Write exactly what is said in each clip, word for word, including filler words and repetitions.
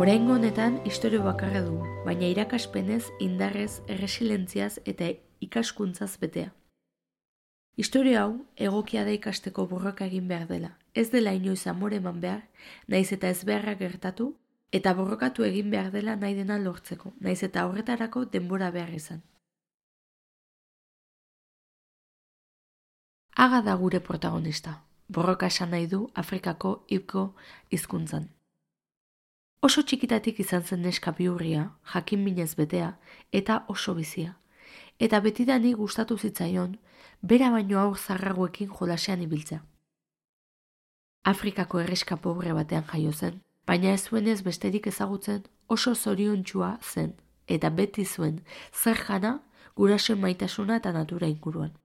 Oraingo honetan istorio bakarra dugu, baina irakaspenez, indarrez, erresilentziaz eta ikaskuntzaz betea. Istorio hau egokia da ikasteko borroka egin behar dela, ez dela inoiz amore eman behar, naiz eta ez beharra gertatu, eta borrokatu egin behar dela nahi dena lortzeko, naiz eta horretarako denbora behar izan. Aga da gure protagonista, borroka esan nahi du Afrikako Igbo hizkuntzan. Oso txikitatik izan zen neska bihurria, jakin minez betea, eta oso bizia. Eta betidani gustatu zitzaion, bera baino aur zarragoekin jolasean ibiltzea. Afrikako herriska pobre batean jaio zen, baina ez zuenez besterik ezagutzen oso zoriontsua zen, eta beti zuen zer jana, gurasoen maitasuna eta natura inguruan.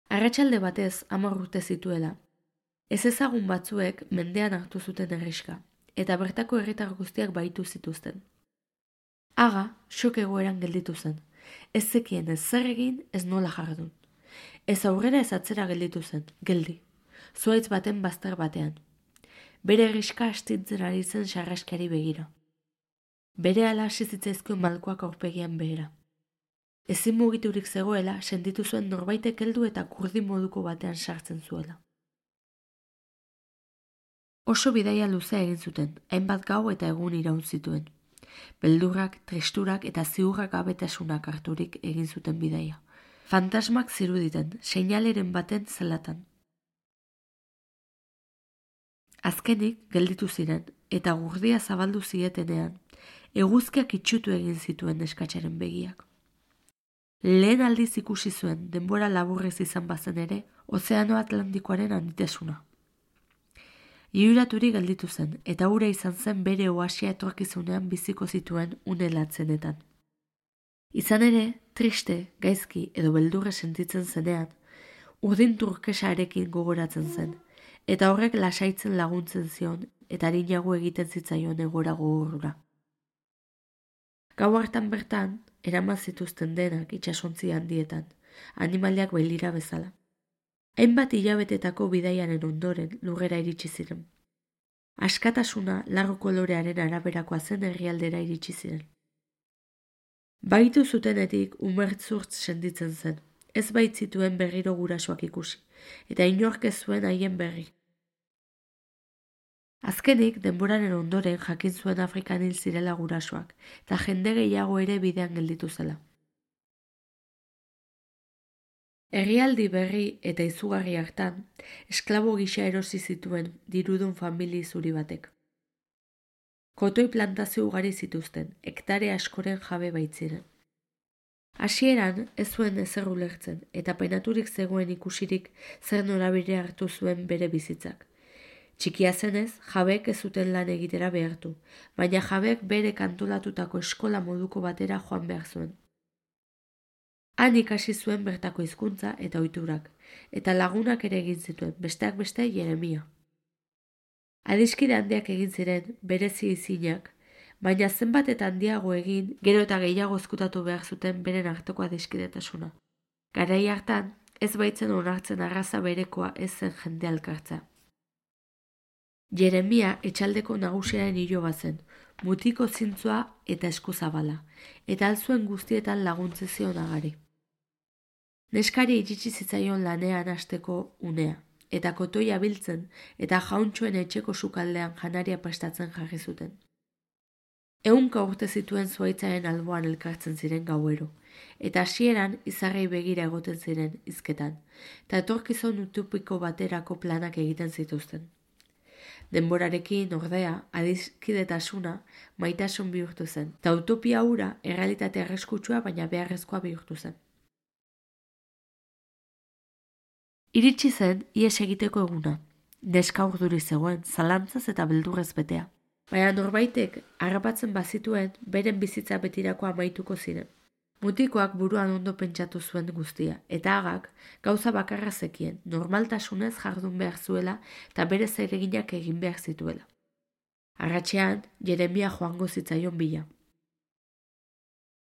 Arratsalde batez hamar urte zituela, ez ezagun batzuek mendean hartu zuten herriska, eta bertako herritar guztiak baitu zituzten. Aga, xok egoeran gelditu zen, ez zekien ez zer egin, ez nola jardun. Ez aurrera ez atzera gelditu zen, geldi, zuaitz baten bazter batean. Bere herriska astintzen ari zen sarraskiari begira. Bere ala hasi zitzaizkion malkoak aurpegian behera. Ezin mugiturik zegoela, sentitu zuen norbaitek heldu eta kurdi moduko batean sartzen zuela. Oso bidaia luzea egin zuten, hainbat gau eta egun iraun zituen. Beldurrak, tristurak eta ziurrak gabetasunak harturik egin zuten bidaia. Fantasmak ziruditen, seinaleren baten zelatan. Azkenik gelditu ziren, eta gurdia zabaldu zietenean, eguzkiak itxutu egin zituen neskatsaren begiak. Lehen aldiz ikusi zuen, denbora laburrez izan bazen ere, Ozeano Atlantikoaren handitasuna. Iuraturi gelditu zen, eta hura izan zen bere oasia etorkizunean biziko zituen une latzenetan. Izan ere, triste, gaizki edo beldurre sentitzen zenean, urdin turkesarekin gogoratzen zen, eta horrek lasaitzen laguntzen zion eta arinago egiten zitzaion egora gogorra. Gau hartan bertan, eraman zituzten denak itsasontzi handietan, animaliak bailira bezala. Hainbat hilabetetako bidaiaren ondoren lurrera iritsi ziren. Askatasuna largo kolorearen araberakoa zen herrialdera iritsi ziren. Baitu zutenetik umertzurtz senditzen zen, ez baitzituen berriro gurasoak ikusi, eta inork ez zuen haien berri. Azkenik, denboraren ondoren jakin zuen Afrikan hil zirela gurasoak, eta jende gehiago ere bidean gelditu zela. Herrialdi berri eta izugarri hartan, esklabo gisa erosi zituen dirudun famili zuri batek. Kotoi plantazio ugari zituzten, hektare askoren jabe baitziren. Hasieran ez zuen ezer ulertzen, eta penaturik zegoen ikusirik zer norabide hartu zuen bere bizitzak. Txikia zenez, jabeek ez zuten lan egitera behartu, baina jabeek bere kantolatutako eskola moduko batera joan behar zuen. Han ikasi zuen bertako hizkuntza eta ohiturak, eta lagunak ere egin zituen, besteak beste Jeremia. Adiskide handiak egin ziren, berezi izinak, baina zenbat eta handiago egin, gero eta gehiago ezkutatu behar zuten beren arteko adiskidetasuna. Garai hartan, ez baitzen onartzen arraza berekoa ez zen jende alkartza. Jeremia etxaldeko nagusiaren iloba zen, mutiko zintzua eta eskuzabala, eta alzuen guztietan laguntze zion agari. Neskari iritsi zitzaion lanean hasteko unea, eta kotoia biltzen eta jauntxoen etxeko sukaldean janaria prestatzen jarri zuten. Ehunka urte zituen zuaitzaren alboan elkartzen ziren gauero, eta hasieran izarrei begira egoten ziren hizketan, eta etorkizun utopiko baterako planak egiten zituzten. Denborarekin, ordea, adiskidetasuna maitasun bihurtu zen, eta utopia hura errealitate arriskutsua baina beharrezkoa bihurtu zen. Iritsi zen ihes egiteko eguna, neska urduri zegoen, zalantzaz eta beldurrez betea. Baina norbaitek harrapatzen bazituen beren bizitza betirako amaituko ziren. Mutikoak buruan ondo pentsatu zuen guztia, eta agak gauza bakarra zekien, normaltasunez jardun behar zuela eta bere zereginak egin behar zituela. Arratsean, Jeremia joango zitzaion bila.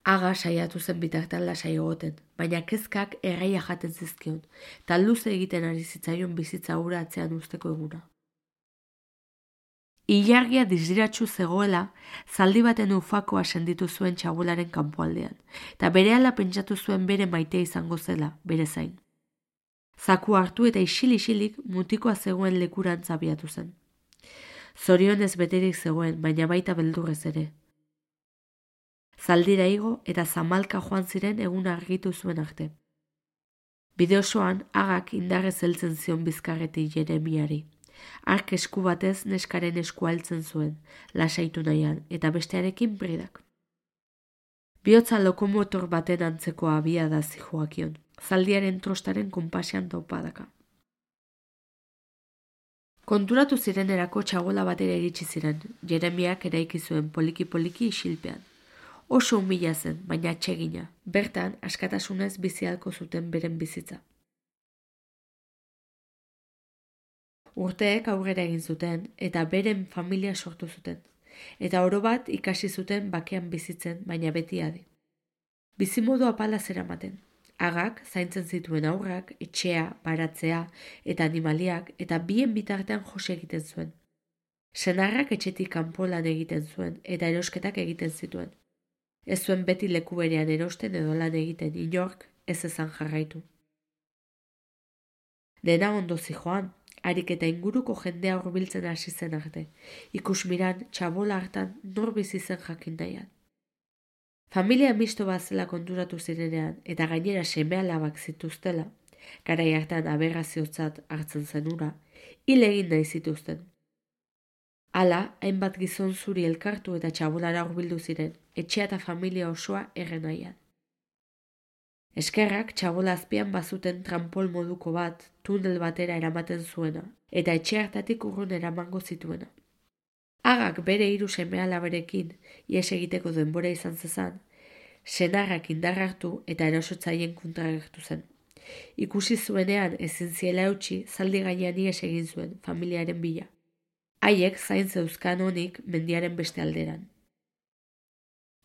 Aga saiatu zen bitartan lasai egoten, baina kezkak erraia jaten zizkion, eta luze egiten ari zitzaion bizitza hura atzean usteko eguna. Ilargia dizdiratsu zegoela, zaldi baten ufakoa senditu zuen txabularen kanpoaldean, eta berehala pentsatu zuen bere maitea izango zela, bere zain. Zaku hartu eta isil-isilik mutikoa zegoen lekurantz abiatu zen. Zorionez beterik zegoen, baina baita beldurrez ere. Zaldira igo eta zamalka joan ziren egun argitu zuen arte. Bide osoan, agak indarrez heltzen zion bizkarretik Jeremiari. Ark esku batez neskaren eskua heltzen zuen, lasaitu nahian, eta bestearekin bridak. Bihotza lokomotor baten antzeko abia da zijoakion, zaldiaren trostaren konpasean taupadaka. Konturatu zirenerako txabola batera iritsi ziren, Jeremiak eraiki zuen poliki-poliki isilpean. Oso humila zen, baina atsegina, bertan askatasunez bizialko zuten beren bizitza. Urteek aurrera egin zuten eta beren familia sortu zuten, eta oro bat ikasi zuten bakean bizitzen, baina beti adi. Bizimodu apala zeramaten. Agak zaintzen zituen aurrak, etxea, baratzea eta animaliak eta bien bitartean jose egiten zuen. Senarrak etxetik kanpo lan egiten zuen eta erosketak egiten zituen. Ez zuen beti leku berean erosten edo lan egiten, inork ez ezan jarraitu. Dena ondo zijoan, harik eta inguruko jendea hurbiltzen hasi zen arte, ikusmiran txabola hartan nor bizi zen jakin nahian. Familia misto bat zela konturatu zirenean eta gainera seme-alabak zituztela, garai hartan aberraziotzat hartzen zenura, hil egin nahi zituzten. Hala, hainbat gizon zuri elkartu eta txabolara hurbildu ziren, etxea eta familia osoa erren nahian. Eskerrak txabola azpian bazuten trampol moduko bat, tunel batera eramaten zuena, eta etxe hartatik urrun eramango zituena. Agak bere hiru seme-alaberekin ihes egiteko denbora izan zezan, senarrak indar hartu eta erosotzaien kontra agertu zen. Ikusi zuenean ezin ziela eutsi, zaldi gainean ihes egin zuen familiaren bila. Haiek zain zeuzkan honik mendiaren beste alderan.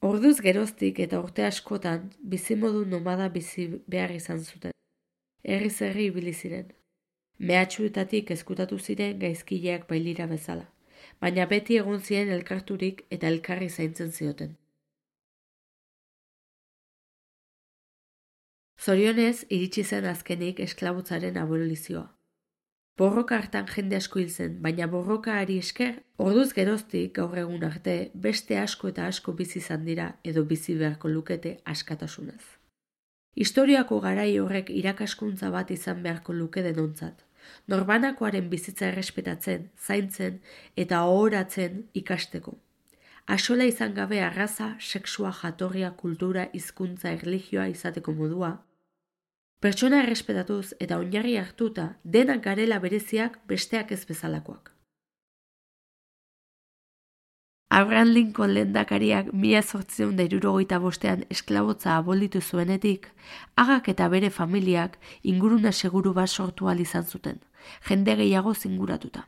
Orduz geroztik eta urte askotan bizimodu nomada bizi behar izan zuten. Herriz herri ibili ziren. Mehatxuetatik ezkutatu ziren gaizkileak bailira bezala, baina beti egon ziren elkarturik eta elkarri zaintzen zioten. Zorionez, iritsi zen azkenik esklabutzaren abolizioa. Borroka hartan jende asko hil zen, baina borrokaari esker, orduz geroztik gaur egun arte beste asko eta asko bizi izan dira edo bizi beharko lukete askatasunez. Historiako garai horrek irakaskuntza bat izan beharko luke denontzat, norbanakoaren bizitza errespetatzen, zaintzen eta ohoratzen ikasteko. Axola izan gabe arraza, sexua, jatorria, kultura, hizkuntza, erlijioa izateko modua, pertsona errespetatuz eta oinarri hartuta denak garela bereziak besteak ez bezalakoak. Abraham Lincoln lehendakariak mila zortziehun eta hirurogeita bostean esklabotza abolitu zuenetik, agak eta bere familiak ingurune seguru bat sortu ahal izan zuten, jende gehiago zinguratuta.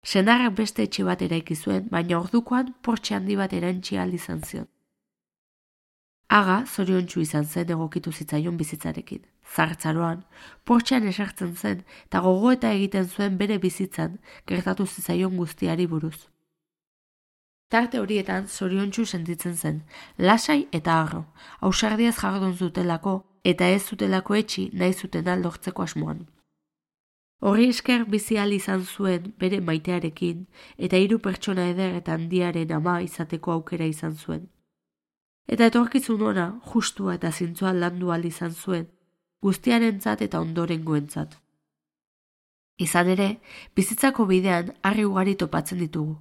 Senarrak beste etxe bat eraiki zuen, baina ordukoan portxe handi bat erantsi ahal izan zion. Aga zoriontsu izan zen egokitu zitzaion bizitzarekin. Zartzaroan, portxean esartzen zen eta gogoeta egiten zuen bere bizitzan gertatu zitzaion guztiari buruz. Tarte horietan zoriontsu sentitzen zen, lasai eta harro, ausardiaz jardun zutelako eta ez zutelako etxi nahi zutena lortzeko asmoan. Horri esker bizi ahal izan zuen bere maitearekin eta hiru pertsona eder eta handiaren ama izateko aukera izan zuen. Eta etorkizun ona, justua eta zintzoa landu ahal izan zuen, guztiarentzat eta ondorengoentzat. Izan ere, bizitzako bidean harri ugari topatzen ditugu.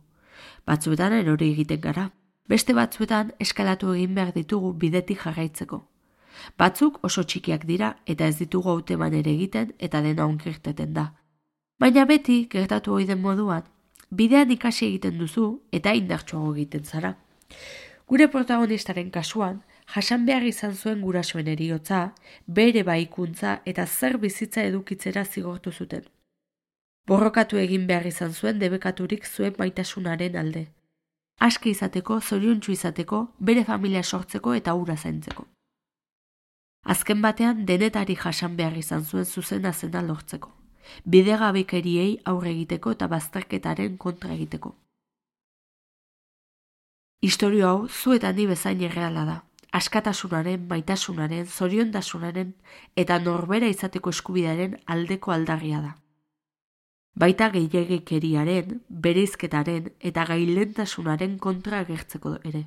Batzuetan erori egiten gara, beste batzuetan eskalatu egin behar ditugu bidetik jarraitzeko. Batzuk oso txikiak dira eta ez ditugu hauteman ere egiten eta dena onkirteten da. Baina beti, gertatu ohi den moduan, bidean ikasi egiten duzu eta indartsuago egiten zara. Gure protagonistaren kasuan, jasan behar izan zuen gurasoen heriotza, bere baikuntza eta zer bizitza edukitzera zigortu zuten. Borrokatu egin behar izan zuen debekaturik zuen maitasunaren alde. Aske izateko, zoriontsu izateko, bere familia sortzeko eta hura zaintzeko. Azken batean denetari jasan behar izan zuen zuzena zena lortzeko. Bidegabekeriei aurre egiteko eta bazterketaren kontra egiteko. Istorio hau zu eta ni bezain erreala da. Askatasunaren, maitasunaren, zoriontasunaren eta norbera izateko eskubidearen aldeko aldarria da. Baita gehiegikeriaren, bereizketaren eta gailentasunaren kontra agertzeko ere.